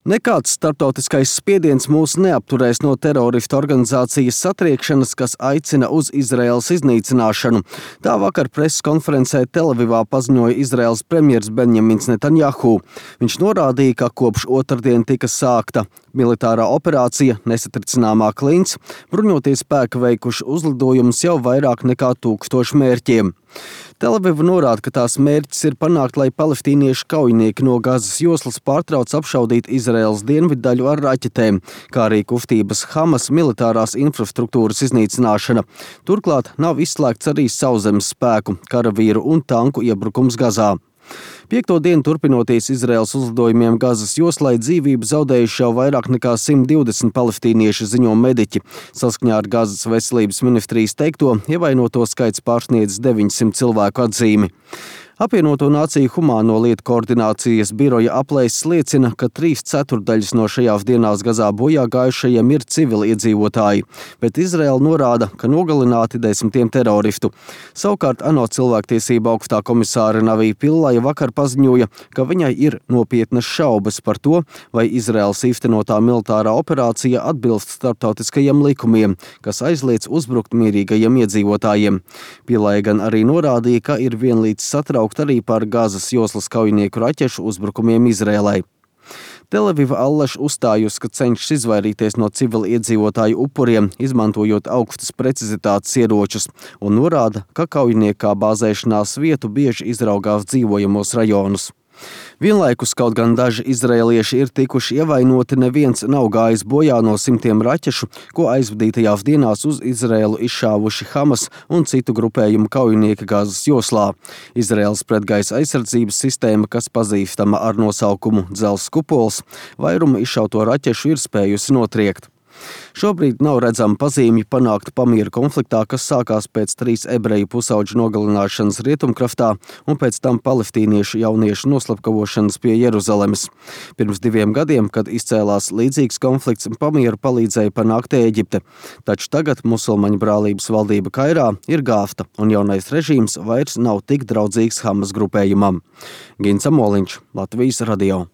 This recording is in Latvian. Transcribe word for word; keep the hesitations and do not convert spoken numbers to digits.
Nekāds starptautiskais spiediens mūs neapturēs no teroristu organizācijas satriekšanas, kas aicina uz Izraēlas iznīcināšanu. Tā vakar preses konferencē Telavivā paziņoja Izraēlas premjers Benjamins Netanjahu. Viņš norādīja, ka kopš otrdien tika sākta militārā operācija Nesatricināmā klints, bruņoties spēki veikuši uzlidojumus jau vairāk nekā tūkstošu mērķiem. Telaviva norāda, ka tās mērķis ir panākt, lai palestīniešu kaujinieki no Gazas joslas pārtrauc apšaudīt Izraēlas dienviddaļu ar raķetēm, kā arī kustības Hamas militārās infrastruktūras iznīcināšana. Turklāt nav izslēgts arī sauszemes spēku, karavīru un tanku iebrukums Gazā. Piekto dienu turpinoties Izraēlas uzlidojumiem Gazas joslai, dzīvību zaudējuši jau vairāk nekā simt divdesmit palestīnieši, ziņo mediķi. Saskaņā ar Gazas veselības ministrijas teikto, ievainoto skaits pārsniedz deviņsimt cilvēku atzīmi. Apvienoto Nāciju humāno lietu koordinācijas biroja aplēses liecina, ka trīs ceturdaļas no šajās dienās Gazā bojā gājušajiem ir civili iedzīvotāji, bet Izraēla norāda, ka nogalināti desmitiem teroristu. Savukārt ANO cilvēktiesība augstā komisāre Navī Pillaja vakar paziņoja, ka viņai ir nopietnas šaubas par to, vai Izraēlas īstenotā militārā operācija atbilst starptautiskajiem likumiem, kas aizliedz uzbrukt mierīgajiem iedzīvotājiem. Pillaja gan arī norādīja, ka ir vienlīdz satraukta arī par Gazas joslas kaujinieku raķešu uzbrukumiem Izraēlai. Telaviva allaž uzstājusi, ka cenšas izvairīties no civili iedzīvotāju upuriem, izmantojot augstas precizitātes ieročus, un norāda, ka kaujinieki kā bāzēšanās vietu bieži izraugās dzīvojamos rajonus. Vienlaikus, kaut gan daži izraēlieši ir tikuši ievainoti, neviens nav gājis bojā no simtiem raķešu, ko aizvadītajās dienās uz Izraēlu izšāvuši Hamas un citu grupējumu kaujinieki Gazas joslā. Izraēlas pretgaisa aizsardzības sistēma, kas pazīstama ar nosaukumu Dzelzs kupols, vairumu izšauto raķešu ir spējusi notriekt. Šobrīd nav redzama pazīmju panākt pamieru konfliktā, kas sākās pēc trīs ebreju pusauģu nogalināšanas Rietumkraftā un pēc tam palestīniešu jauniešu noslapkavošanas pie Jeruzalemes. Pirms diviem gadiem, kad izcēlās līdzīgs konflikts, pamieru palīdzēja panākt Ēģipte. Taču tagad musulmaņu brālības valdība Kairā ir gāvta, un jaunais režīms vairs nav tik draudzīgs Hamas grupējumam. Gins Amoliņš, Latvijas radio.